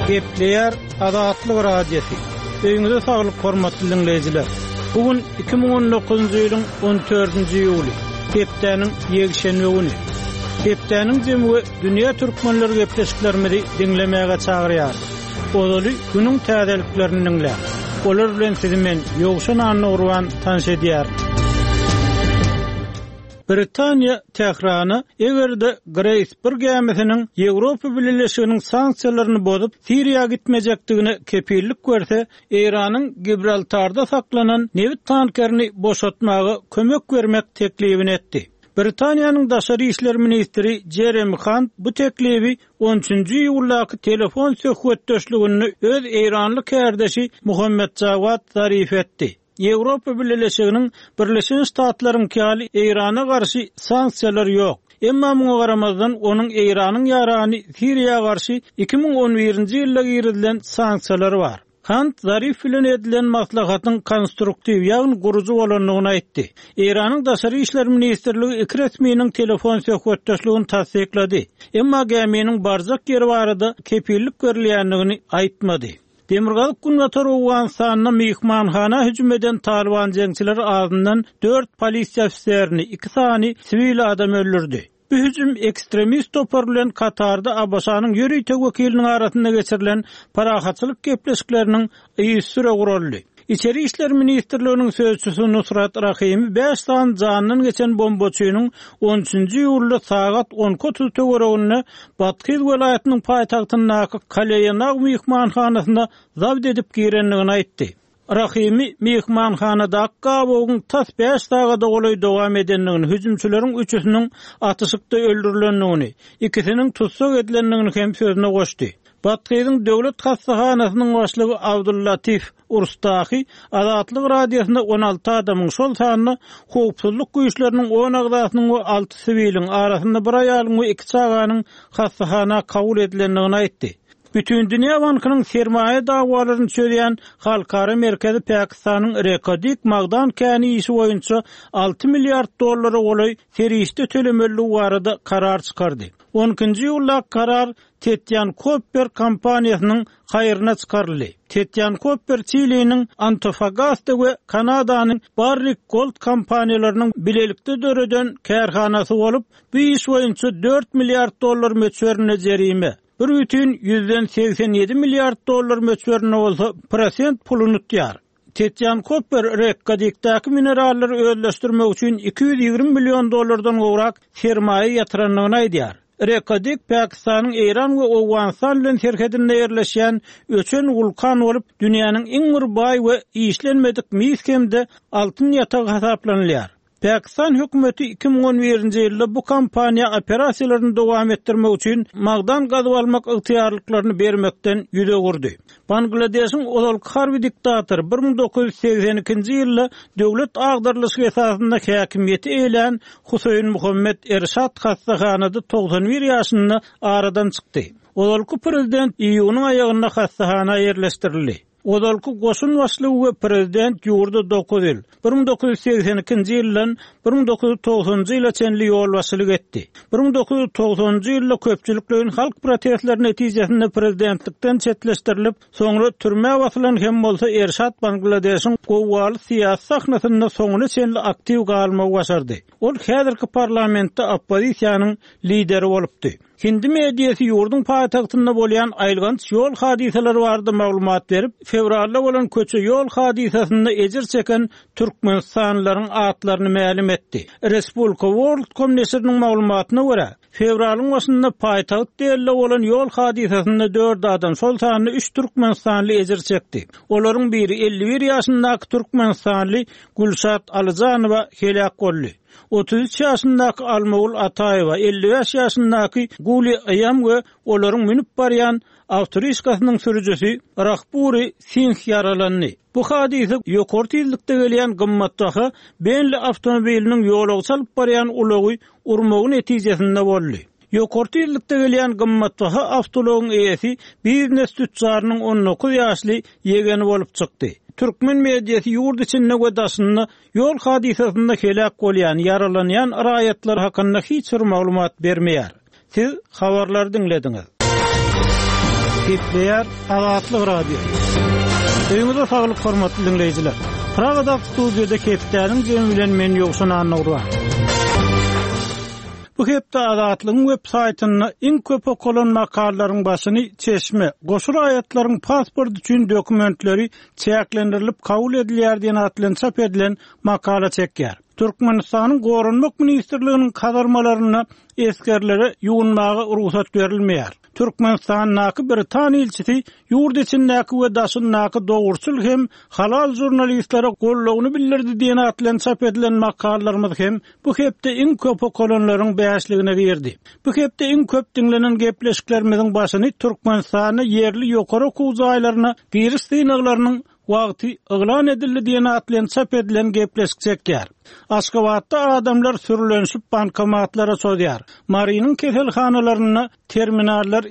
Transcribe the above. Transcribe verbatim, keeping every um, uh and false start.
Gepleýär Azatlyk Radiosy. Öýüňize saglyk hormatly diňleýjiler. Bu gün iki müň on dokuzynjy ýylyň on dördünji iýuly, hepdäniň ýekşenbe güni. Hepdäniň jemi we dünýä türkmenleri gepleşiklerimizi diňlemäge çagyrýar. Ozaly günüň täzeliklerini diňläň. Olar bilen sizi men Ýowşan Annagurban tanyş edýärin. Britaniýa Tährana eger-de Grace bir gämisiniň Ýewropa Bileleşiginiň sanksiýalaryny bozup Siriýa gitmejekdigine kepillik berse, Eýranyň Gibraltarda saklanan nebit tankerini boşatmaga kömek bermek teklibini etdi. Britaniýanyň daşary işler ministri Jeremy Hunt bu teklibi on üçünji iýuldaky telefon söhbetdeşliginde öz Eýranly kardeşi Muhammed Jawad Zarif etdi. Ýewropa Bileleşiginiň Birleşen Ştatlaryň ýaly Eýrana garşy sanksiýalar ýok. Emma muňa garamazdan onuň Eýranyň ýarany Siriýa garşy iki müň on birinji ýylda girizilen sanksiýalar bar. Hunt Zarif bilen edilen maslahatyň konstruktiw ýagny gurujy bolandygyny aýtdy. Eýranyň daşary işler ministrligi iki resminiň telefon söhbetdeşligini tassyklady. Emma gäminiň barjak ýeri barada kepillik berilýändigini aýtmady. Demirgazyk Günbatar Owganystanda mehmanhana hüjüm eden Taliban jeňçileri azyndan dört polisiýa ofiserini, iki sany siwil adam öldürdi. Bu hüjüm ekstremist topar bilen Katarda ABŞ-nyň ýörite wekiliniň arasynda geçirilen parahatçylyk gepleşikleriniň yzysüre guraldy. Içeri işler ministrliginiň sözçüsi Nusrat Rahimi bäş sany jandan geçen bombaçynyň on üçünji iýulda sagat on iki otuz töwereginde Bathyz welaýatynyň paýtagtyndaky Kaleýanag mehmanhanasyna zabt edip girendigini aýtdy. Rahimi mehmanhanadaky gabawyň tas bäş sagada golaý dowam edendigini, hüjümçileriň üçüsiniň atyşykda öldürilendigini, ikisiniň tussag edilendigini hem sözüne goşdy. Bathyzyň döwlet hastahanasynyň başlygy Abdullatif Urstahi Azatlyk Radiosyna on alty adamyň, şol sanda howpsuzlyk güýçleriniň on agzasynyň we alty siwiliň arasynda bir aýalyň we iki çaganyň hastahana kabul edilendigini aýtdy. Bütün Dünya Bankynyň sermaýa dawalaryny çözýän Halkara Merkezi Pakistanyň Reko Dik magdan käni işi boýunça alty milliard dollara golaý serişde tölemeligi barada karar çykardy. On ikinji iýulda karar Tetyan Copper kompaniýasynyň haýryna çykaryldy. Tetyan Copper Çiliniň Antofagasta we Kanadanyň Barrick Gold kompaniýalarynyň bilelikde döreden kärhanasy bolup, bu iş boýunça dört milliard dollar möçberinde jerime, bir bütün ýüzden segsen ýedi milliard dollar möçberinde bolsa prosent puluny tutýar. Tetyan Copper Reko Dikdäki minerallary özleşdirmek üçin iki ýüz ýigrimi million dollardan gowrak sermaýa ýatyrandygyny aýdýar. Reko Dik Pakistanyň Eýran we Owganystan bilen serhedinde ýerleşýän öçen wulkan bolup, dünýäniň iň bir baý we işlenmedik mis hem-de altyn ýatagy hasaplanylýar. Pakistan hökümeti iki müň on birinji ýylda bu kompaniýa operasiýalaryny dowam etdirmek üçin magdan gazyp almak ygtyýarlyklaryny bermekden ýüz öwürdi. Bangladeşiň ozalky harby diktatory bir müň dokuz ýüz segsen ikinji ýylda döwlet agdarlyşygy esasynda häkimiýeti eýlän Huseýn Muhammed Erşad hastahanada togsan bir ýaşynda aradan çykdy. Ozalky prezident iýunyň aýagynda hastahana ýerleşdirildi. Ozalky goşun başlygy we prezident ýurda dokuz ýyl, bir müň dokuz ýüz segsen ikinji ýyldan bir müň dokuz ýüz togsanjy ýyla çenli ýolbaşçylyk etdi. Bir müň dokuz ýüz togsanjy ýylda köpçülikleýin halk protestleri netijesinde prezidentlikden çetleşdirilip, soňra türmä basylan hem bolsa Erşad Bangladeşiň gowgaly syýasy sahnasynda soňuna çenli aktiw galmagy başardy. Ol häzirki parlamentde oppozisiýanyň lideri bolupdy. Hindi mediasy ýurduň paýtagtynda bolýan aýylganç ýol hadysalary barada maglumat berip, fewralda bolan köçe ýol hadysasynda ejir çeken Türkmenistanlylaryň atlaryny mälim etdi. Respublika World.com neşiriniň maglumatyna görä, fewralyň başynda paýtagt Delide bolan ýol hadysasynda dört adam, şol sanda üç Türkmenistanly ejir çekdi. Olaryň biri elli bir ýaşyndaky Türkmenistanly Gülşat Alyjanowa helak boldy. Otuz üç ýaşyndaky Almagül Ataýewa, elli bäş ýaşyndaky Guli Aýam we olaryň münüp barýan awtoriskasynyň sürüjisi Rahburi Singh ýaralandy. Bu hadysa ýokary tizlikde gelýän gymmatbaha Bentley awtomobiliniň ýolagçy alyp barýan ulagy urmagy netijesinde boldy. Ýokary tizlikde gelýän gymmatbaha awtoulagyň eýesi biznes tüccarynyň on dokuz ýaşly ýegeni bolup çykdy. Türkmen mediasy ýurt içinde we daşynda ýol hadysasynda helak bolýan, ýaralanýan raýatlar hakynda hiç bir maglumat bermeýär. Siz habarlary diňlediňiz. Gepleýär Azatlyk Radiosy. Öýüňize saglyk hormatly diňleýjiler. Pragada studiýada hepdäniň jemi bilen men Ýowşan Annagurban. Bu hepde Azatlygyň web saýtynda iň köp okalan makalalaryň başyny Çeşme, goşa raýatlaryň pasport üçin dokumentleri çäklendirilip kabul edilýär diýen at bilen çap edilen makala çekýär. Türkmenistanyň Goranmak ministrliginiň kazarmalarynda esgerlere ýuwunmaga rugsat berilmeýär. Türkmenistandaky Britan ilçisi ýurt içindäki we daşyndaky dogruçyl hem halal žurnalistlere goldawyny bildirdi diýen at bilen çap edilen makalalarymyz hem bu hepde iň köp okalanlaryň bäşligine girdi. Bu hepde iň köp diňlenen gepleşiklerimiziň başyny Türkmenistanda ýerli ýokary okuw jaýlaryna giriş synaglarynyň wagty yglan edildi diýen at bilen çap edilen gepleşik çekýär. Aşgabatda adamlar sürlenişip bankomatlara çozýar. Marynyň keselhanalarynda terminallar